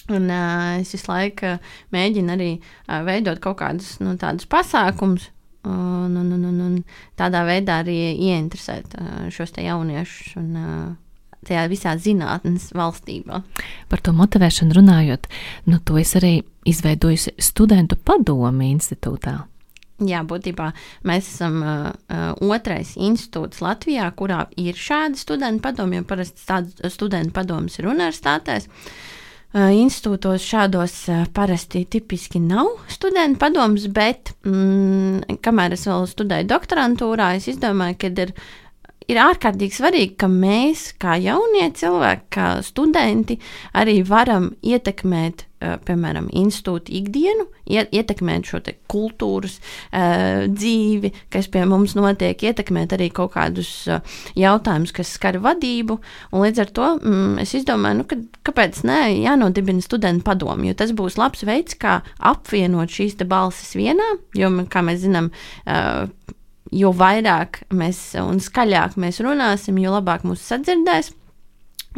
Un uh, es visu laiku mēģinu arī uh, veidot kaut kādus nu, tādus pasākumus un, un, un, un, un tādā veidā arī ieinteresēt uh, šos te jauniešus un uh, tajā visā zinātnes valstībā. Par to motivēšanu runājot, nu to es arī izveidojusi studentu padomi institūtā. Jā, būtībā mēs esam uh, otrais institūts Latvijā, kurā ir šādi studentu padomi, jo parasti tādas studentu padomas ir universitātēs. Institūtos šādos parasti tipiski nav studentu padoms, bet mm, kamēr es vēl studēju doktorantūrā, es izdomāju, ka ir, ir ārkārtīgi svarīgi, ka mēs, kā jaunie cilvēki, kā studenti, arī varam ietekmēt, piemēram, institūta ikdienu, ietekmēt šo te kultūras uh, dzīvi, kas pie mums notiek, ietekmēt arī kaut kādus uh, jautājumus, kas skar vadību, un līdz ar to mm, es izdomāju, nu, ka, kāpēc ne, jānodibina studentu padomi, jo tas būs labs veids, kā apvienot šīs te balsis vienā, jo, kā mēs zinām, uh, jo vairāk mēs un skaļāk mēs runāsim, jo labāk mūs sadzirdēs.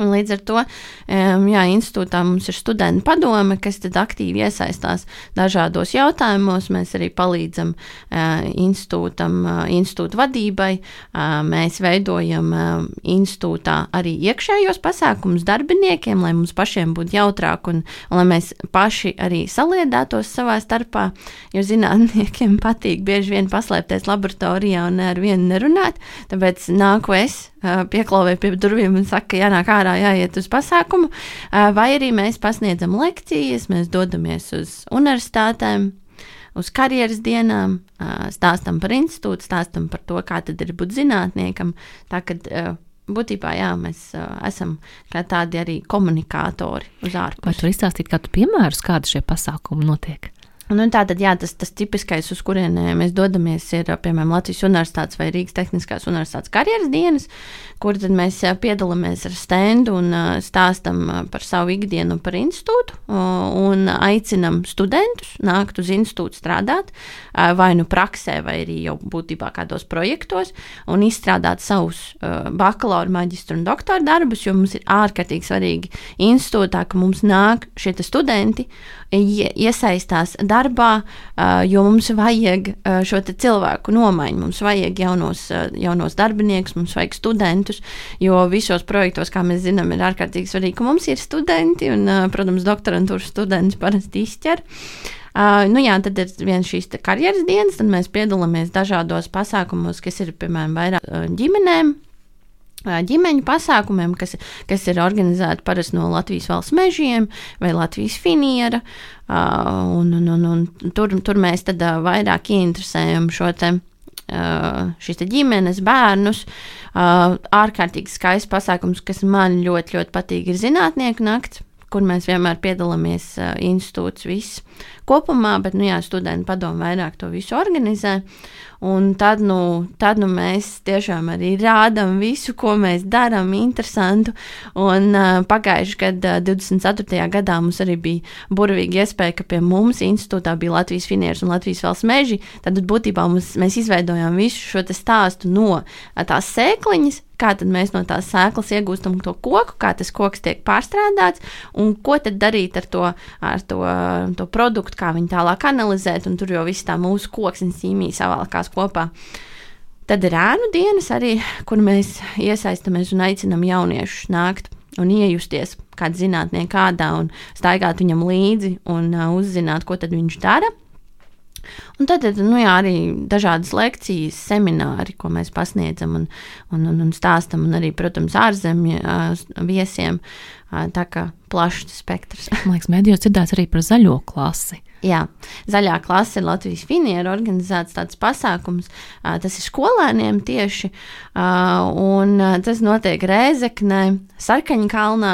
Un līdz ar to, jā, institūtā mums ir studentu padome, kas tad aktīvi iesaistās dažādos jautājumos. Mēs arī palīdzam institūtam, institūta vadībai. Mēs veidojam institūtā arī iekšējos pasākumus darbiniekiem, lai mums pašiem būtu jautrāk un, un lai mēs paši arī saliedētos savā starpā, jo zinātniekiem patīk bieži vien paslēpties laboratorijā un ar vienu nerunāt, tāpēc nāku es, pieklauvē pie durvīm un saka, jānāk ārā, jāiet uz pasākumu, vai arī mēs pasniedzam lekcijas, mēs dodamies uz universitātēm, uz karjeras dienām, stāstam par institūtu, stāstam par to, kā tad ir būt zinātniekam, tā kad būtībā, jā, mēs esam kā tādi arī komunikātori uz ārpusi. Vai tu izstāstīt kādu piemērus, kādi šie pasākumi notiek? Nu, tātad, jā, tas, tas tipiskais, uz kurien mēs dodamies, ir, piemēram, Latvijas Universitātes vai Rīgas Tehniskās Universitātes karjeras dienas, kur tad mēs piedalāmies ar stendu un stāstam par savu ikdienu par institūtu un aicinam studentus nākt uz institūtu strādāt, vai nu praksē, vai arī jau būtībā kādos projektos, un izstrādāt savus bakalaura, maģistra un doktora darbus, jo mums ir ārkārtīgi svarīgi institūtā, ka mums nāk šie studenti, iesaistās darbā, jo mums vajag šo te cilvēku nomaiņu, mums vajag jaunos, jaunos darbiniekus, mums vajag studentus, jo visos projektos, kā mēs zinām, ir ārkārtīgi svarīgi, ka mums ir studenti un, protams, doktorantūras students parasti izķer. Uh, nu jā, tad ir viens šīs karjeras dienas, tad mēs piedalāmies dažādos pasākumos, kas ir, piemēram, vairāk ģimenēm, ģimeņu pasākumiem, kas, kas ir organizēti parasti no Latvijas valsts mežiem vai Latvijas finiera, uh, un, un, un, un tur, tur mēs tad uh, vairāk ieinteresējam šo te, uh, šīs te ģimenes, bērnus. Uh, ārkārtīgi skaists pasākums, kas man ļoti, ļoti patīk, ir zinātnieku nakts, kur mēs vienmēr piedalāmies uh, institūts viss kopumā, bet, nu jā, studentu padomu vairāk to visu organizē. Un tad nu, tad nu mēs tiešām arī rādām visu, ko mēs darām, interesantu. Un uh, pagājuši gadu, uh, divdesmit ceturtajā gadā mums arī bija burvīga iespēja, ka pie mums institūtā bija Latvijas finieris un Latvijas valsts meži. Tad būtībā mums, mēs izveidojām visu šo te stāstu no tās sēkliņas, kā tad mēs no tās sēklas iegūstam to koku, kā tas koks tiek pārstrādāts un ko tad darīt ar to, ar to, to produktu, kā viņu tālāk analizēt, un tur jau viss tā mūsu koksnes ķīmija savalkās kopā. Tad ir ēnu dienas arī, kur mēs iesaistamies un aicinam jauniešus nākt un iejusties kādu zinātnieku kādā un staigāt viņam līdzi un uh, uzzināt, ko tad viņš dara. Un tad nu jā, arī dažādas lekcijas, semināri, ko mēs pasniedzam un, un, un, un stāstam, un arī, protams, ārzemju uh, viesiem, uh, tā kā plašs spektrs. Man liekas, mēdījos dzirdēts arī par zaļo klasi. Jā, zaļā klase ir Latvijas finiera organizēts tāds pasākums, uh, tas ir skolēniem tieši, uh, un uh, tas notiek Rēzeknē, Sarkaņkalnā,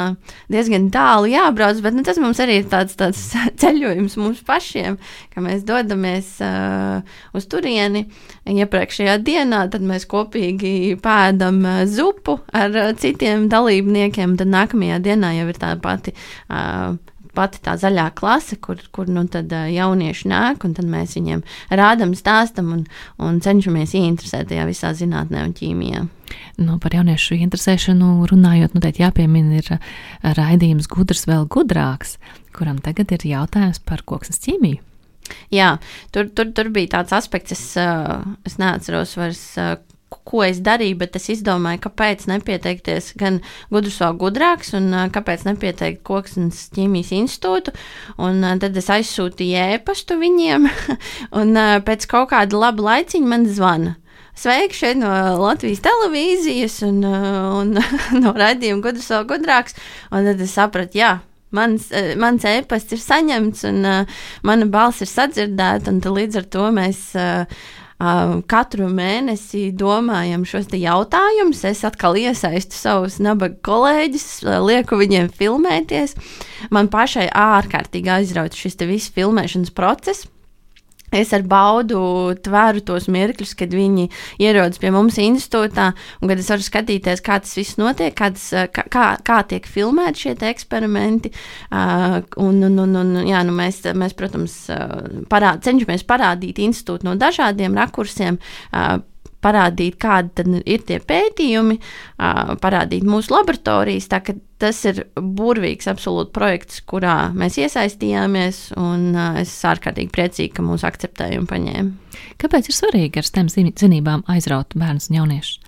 diezgan tālu jābrauc, bet nu, tas mums arī ir tāds, tāds ceļojums mums pašiem, ka mēs dodamies uh, uz turieni iepriekšējā dienā, tad mēs kopīgi pēdam uh, zupu ar uh, citiem dalībniekiem, tad nākamajā dienā jau ir tā pati uh, pati tā zaļā klase, kur, kur nu tad jaunieši nāk, un tad mēs viņiem rādam, stāstam un, un cenšamies ieinteresēt tajā visā zinātnē un ķīmijā. Nu, par jauniešu interesēšanu runājot, noteikti jāpiemina ir raidījums Gudrs vēl gudrāks, kuram tagad ir jautājums par koksnes ķīmiju. Jā, tur, tur, tur bija tāds aspekts, es, es neatceros vairs, ko es darīju, bet es izdomāju, kāpēc nepieteikties gan Gudrs vēl gudrāks un kāpēc nepieteikt Koksnes ķīmijas institūtu. Un tad es aizsūtīju ēpastu viņiem un pēc kaut kāda laba laiciņa man zvana. Sveiki šeit no Latvijas televīzijas un, un no raidījuma Gudrs vēl gudrāks. Un tad es sapratu, jā, Mans, mans ēpasts ir saņemts un uh, mana balss ir sadzirdēta, un līdz ar to mēs uh, uh, katru mēnesi domājam šos te jautājumus. Es atkal iesaistu savus nabaga kolēģus, lieku viņiem filmēties. Man pašai ārkārtīgi aizrauc šis te viss filmēšanas process. Es ar baudu tvēru tos mirkļus, kad viņi ierodas pie mums institūtā, un kad es varu skatīties, kā tas viss notiek, kā, tas, kā, kā tiek filmēti šie te eksperimenti. Uh, un, un, un, un, jā, nu mēs, mēs, protams, parād, cenšamies parādīt institūtu no dažādiem rakursiem, uh, parādīt, kādi tad ir tie pētījumi, parādīt mūsu laboratorijas, tā ka tas ir burvīgs absolūti projekts, kurā mēs iesaistījāmies, un es ārkārtīgi priecīgi, ka mūsu akceptēja un paņēma. Kāpēc ir svarīgi ar STEM zinībām aizraut bērnus un jauniešus?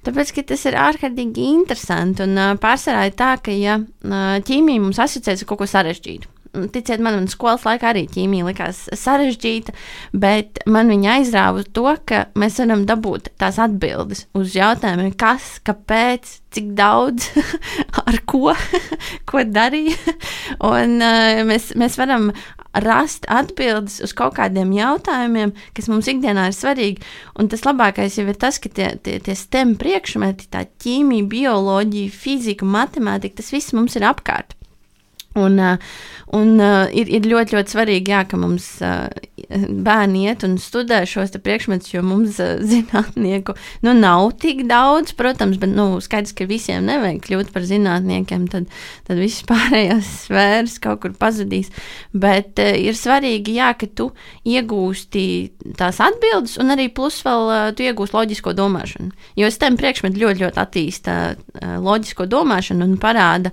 Tāpēc, ka tas ir ārkārtīgi interesanti, un pārsvarā ir tā, ka ja ķīmija mums asociēs ar kaut ko sarežģītu. Ticiet man, man skolas laikā arī ķīmija likās sarežģīta, bet man viņa aizrāva to, ka mēs varam dabūt tās atbildes uz jautājumiem, kas, kāpēc, cik daudz, ar ko, ko darīja. Un uh, mēs, mēs varam rast atbildes uz kaut kādiem jautājumiem, kas mums ikdienā ir svarīgi. Un tas labākais jau ir tas, ka tie, tie, tie STEM priekšmeti, tā ķīmija, bioloģija, fizika, matemātika, tas viss mums ir apkārt. Un, un ir, ir ļoti, ļoti svarīgi, jā, ka mums bērni iet un studē šos te priekšmetus, jo mums zinātnieku nu, nav tik daudz, protams, bet nu, skaidrs, ka visiem nevajag kļūt par zinātniekiem, tad, tad viss pārējās sfēras kaut kur pazudīs. Bet ir svarīgi, jā, ka tu iegūsti tās atbildes un arī plus vēl tu iegūsti loģisko domāšanu. Jo STEM priekšmeti ļoti, ļoti attīsta loģisko domāšanu un parāda,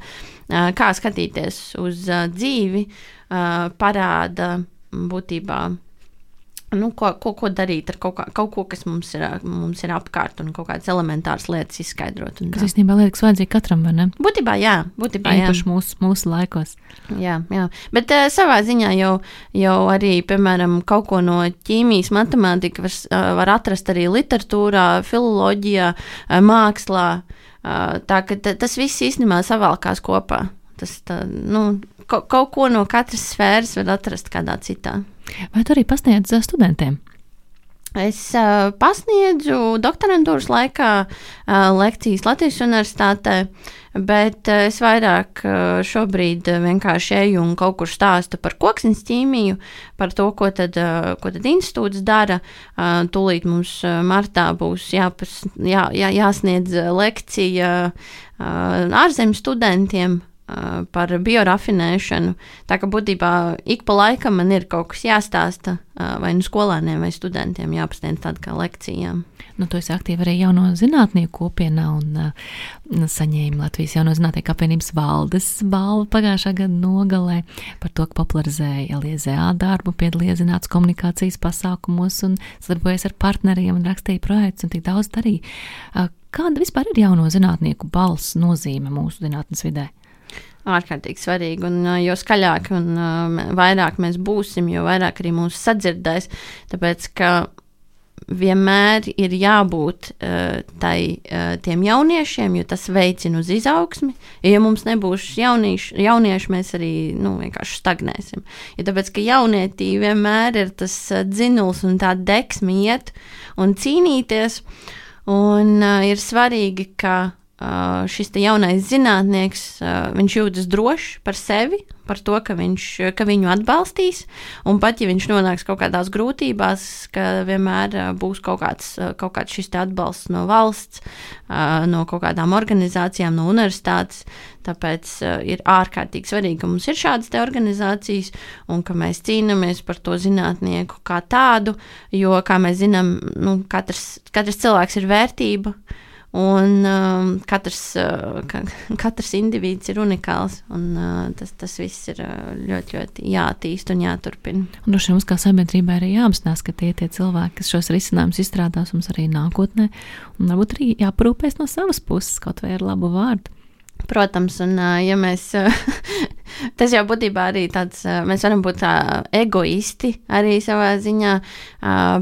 kā skatīties uz uh, dzīvi, uh, parāda būtībā, nu, ko, ko, ko darīt ar kaut, kā, kaut ko, kas mums ir, mums ir apkārt un kaut kādas elementāras lietas izskaidrot. Kas īstenībā liekas vajadzīgi katram, vai ne? Būtībā jā, būtībā jā. Īpaši mūsu, mūsu laikos. Jā, jā. Bet uh, savā ziņā jau, jau arī, piemēram, kaut ko no ķīmijas, matemātika var, uh, var atrast arī literatūrā, filoloģijā, uh, mākslā. Uh, tā ka t- tas viss īstenībā savalkās kopā. Tas tā, nu, ko, kaut ko no katras sfēras var atrast kādā citā. Vai tu arī pasniedz studentiem? Es uh, pasniedzu doktorantūras laikā uh, lekcijas Latvijas universitātē, bet uh, es vairāk uh, šobrīd uh, vienkārši eju un kaut kur stāstu par koksnes ķīmiju, par to, ko tad, uh, ko tad institūts dara. Uh, tūlīt mums uh, martā būs jāpas, jā, jā, jāsniedz lekcija uh, ārzemju studentiem par biorafinēšanu. Tā ka būtībā ik pa laikam man ir kaut kas jāstāsta vai nu skolēniem vai studentiem jāpasniedz tāda kā lekcijām. Nu, tu esi aktīva arī jauno zinātnieku kopienā un uh, saņēma Latvijas jauno zinātnieku apvienības valdes balvu pagājušā gada nogalē par to, ka popularizēja L I Z A darbu, piedalījās zinātnes komunikācijas pasākumos un sadarbojas ar partneriem un rakstīja projekts un tik daudz darīja. Uh, kāda vispār ir jauno zinātnieku balss nozīme mūsu zinātnes vidē? Ārkārtīgi svarīgi, un jo skaļāk un uh, vairāk mēs būsim, jo vairāk arī mūs sadzirdēs, tāpēc, ka vienmēr ir jābūt uh, tai, uh, tiem jauniešiem, jo tas veicina uz izaugsmi, ja mums nebūs jaunieši, jaunieši mēs arī, nu, vienkārši stagnēsim. Ja tāpēc, ka jaunietī vienmēr ir tas uh, dzinuls un tā deksme iet un cīnīties, un uh, ir svarīgi, ka Uh, šis te jaunais zinātnieks, uh, viņš jūtas drošs par sevi, par to, ka, viņš, ka viņu atbalstīs, un pat, ja viņš nonāks kaut kādās grūtībās, ka vienmēr uh, būs kaut kāds, uh, kaut kāds šis te atbalsts no valsts, uh, no kaut kādām organizācijām, no universitātes, tāpēc uh, ir ārkārtīgi svarīgi, ka mums ir šādas te organizācijas, un ka mēs cīnamies par to zinātnieku kā tādu, jo, kā mēs zinām, nu, katrs, katrs cilvēks ir vērtība, un um, katrs, uh, ka, katrs indivīds ir unikāls, un uh, tas, tas viss ir uh, ļoti, ļoti jāattīst un jāturpina. Un droši vien mums kā sabiedrībai arī jāapzinās, ka tie tie cilvēki, kas šos risinājumus izstrādās mums arī nākotnē, un varbūt arī jāparūpēs no savas puses kaut vai ar labu vārdu. Protams, un ja mēs, tas jau būtībā arī tāds, mēs varam būt tā egoisti arī savā ziņā,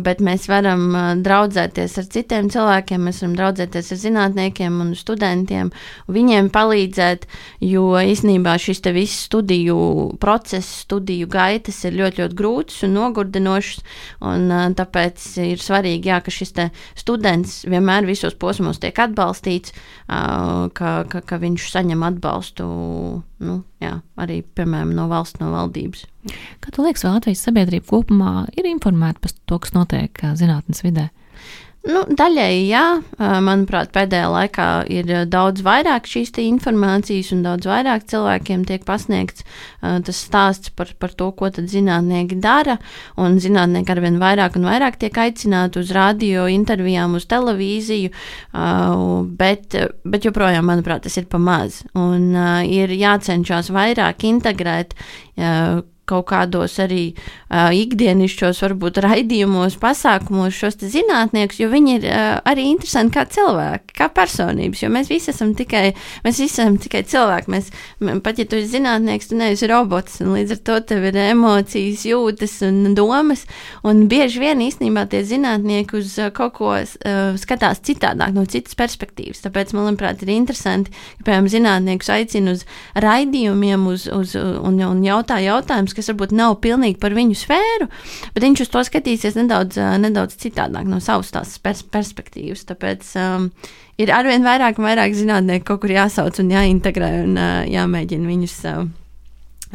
bet mēs varam draudzēties ar citiem cilvēkiem, mēs varam draudzēties ar zinātniekiem un studentiem, un viņiem palīdzēt, jo īstenībā šis te viss studiju process, studiju gaitas ir ļoti, ļoti grūts un nogurdinošs, un tāpēc ir svarīgi, jā, ka šis te students vienmēr visos posmos tiek atbalstīts, ka, ka, ka viņš saņem atbalstu, nu, jā, arī, piemēram, no valsts, no valdības. Kā tu liekas, vai Latvijas sabiedrība kopumā ir informēta par to, kas notiek zinātnes vidē? Nu, daļēji jā, manuprāt, pēdējā laikā ir daudz vairāk šīs informācijas un daudz vairāk cilvēkiem tiek pasniegts tas stāsts par, par to, ko tad zinātnieki dara, un zinātnieki arvien vairāk un vairāk tiek aicināti uz radio, intervijām, uz televīziju, bet, bet joprojām, manuprāt, tas ir pa maz, un ir jācenšas vairāk integrēt kaut kādos arī uh, ikdienišķos, varbūt raidījumos, pasākumos šos te zinātniekus, jo viņi ir uh, arī interesanti kā cilvēki, kā personības, jo mēs visi esam tikai, mēs visi esam tikai cilvēki, mēs, pat ja tu esi zinātnieks, tu neesi robots, un līdz ar to tev ir emocijas, jūtas un domas, un bieži vien īstenībā tie zinātnieki uz uh, kaut ko uh, skatās citādāk, no citas perspektīvas, tāpēc, man liekas, ir interesanti, ka, piemēram, zinātniekus aicina uz raidījumiem, uz, uz, un, un jautā jautājums, kas varbūt nav pilnīgi par viņu sfēru, bet viņš uz to skatīsies nedaudz, nedaudz citādāk no savas tās pers- perspektīvas. Tāpēc um, ir arvien vairāk un vairāk zinātnieki kaut kur jāsauc un jāintegrē un uh, jāmēģina viņus uh,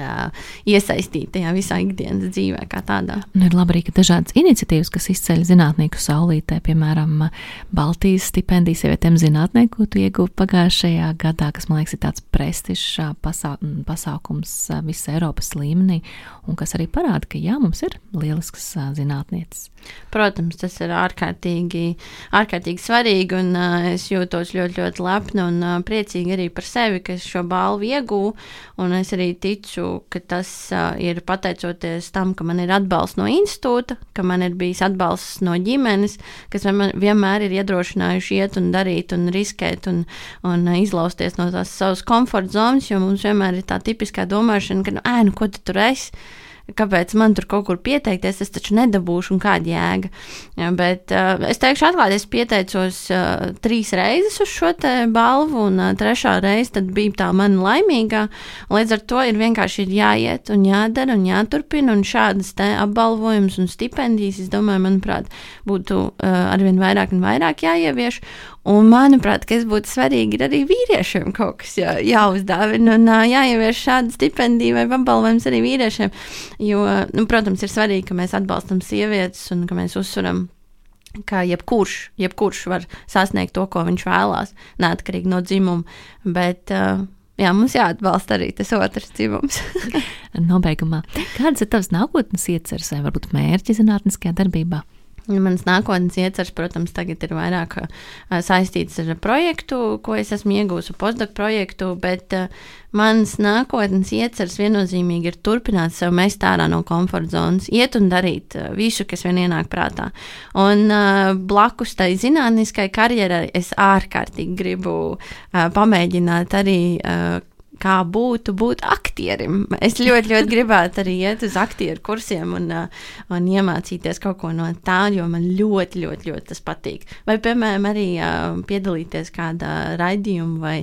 uh, iesaistīt tajā visā ikdienas dzīvē kā tādā. Un ir labi arī, ka dažādas iniciatīvas, kas izceļ zinātnieku saulītē, piemēram, Baltijas stipendijas sievietēm zinātnieku, ko tu ieguvi pagājušajā gadā, kas, man liekas, ir tāds prestižs pasā, pasākums visas Eiropas līmenī, un kas arī parāda, ka jā, mums ir lielisks zinātnieces. Protams, tas ir ārkārtīgi, ārkārtīgi svarīgi, un uh, es jūtos ļoti, ļoti lepna un uh, priecīgi arī par sevi, ka es šo balvu iegūvu, un es arī ticu, ka tas uh, ir pateicoties tam, ka man ir atbalsts no institūta, ka man ir bijis atbalsts no ģimenes, kas vienmēr ir iedrošinājuši iet un darīt un riskēt un, un uh, izlausties no tās savas komforta zonas, jo mums vienmēr ir tā tipiskā domāšana, ka, nu, ē, nu, ko tu tur esi? Kāpēc man tur kaut kur pieteikties, es taču nedabūšu un kāda jēga. Ja, bet uh, es teikšu atklāti, es pieteicos uh, trīs reizes uz šo te balvu, un uh, trešā reize tad bija tā mana laimīgā. Līdz ar to ir vienkārši ir jāiet un jādara un jāturpina, un šādas te apbalvojums un stipendijas, es domāju, manuprāt, būtu uh, arvien vairāk un vairāk jāievieš. Un, manuprāt, kas būtu svarīgi, ir arī vīriešiem kaut kas jā, jāuzdāvina un jāievieš šādu stipendiju vai apbalvojums arī vīriešiem. Jo, nu, protams, ir svarīgi, ka mēs atbalstam sievietes un ka mēs uzsveram, ka jebkurš, jebkurš var sasniegt to, ko viņš vēlās, neatkarīgi no dzimuma. Bet, jā, mums jāatbalsta arī tas otrs dzimums. Nobeigumā, kādas ir tavas nākotnes ieceres vai varbūt mērķi zinātniskajā darbībā? Mans nākotnes iecers, protams, tagad ir vairāk uh, saistīts ar projektu, ko es esmu iegūsi, postdoc projektu, bet uh, mans nākotnes iecers viennozīmīgi ir turpināt sev mest ārā no komforta zonas, iet un darīt uh, visu, kas vien ienāk prātā. Un uh, blakus tai zinātniskai karjerai es ārkārtīgi gribu uh, pamēģināt arī uh, kā būtu būt aktierim. Es ļoti, ļoti gribētu arī iet uz aktieru kursiem un, un iemācīties kaut ko no tā, jo man ļoti, ļoti, ļoti tas patīk. Vai, piemēram, arī piedalīties kādā raidījuma vai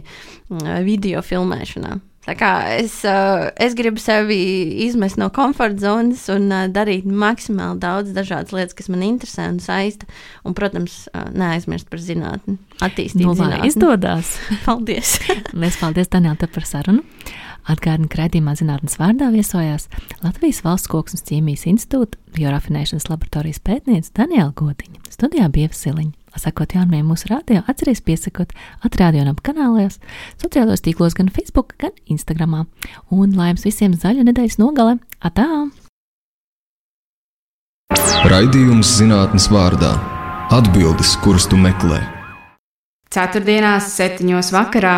video filmēšanā. Tā kā es, es gribu sevi izmest no komforta zonas un darīt maksimāli daudz dažādas lietas, kas man interesē un saista. Un, protams, neaizmirst par zinātni, attīstīt nu, zinātni. Izdodas. Paldies. Liels paldies, Daniela, tev par sarunu. Atgādinu, ka raidījumā Zinātnes vārdā viesojās Latvijas Valsts Koksnes ķīmijas institūta biorafinēšanas laboratorijas pētniece Daniela Godiņa. Studijā bija Siliņa. Sakot jaunumiem mūsu radio, atceries piesakot atrādionam kanālajos, sociālos tīklos gan Facebook, gan Instagramā. Un lai jums visiem zaļa nedēļas nogale. Atā! Raidījums Zinātnes vārdā. Atbildes, kuras tu meklē. Ceturtdienās septiņos vakarā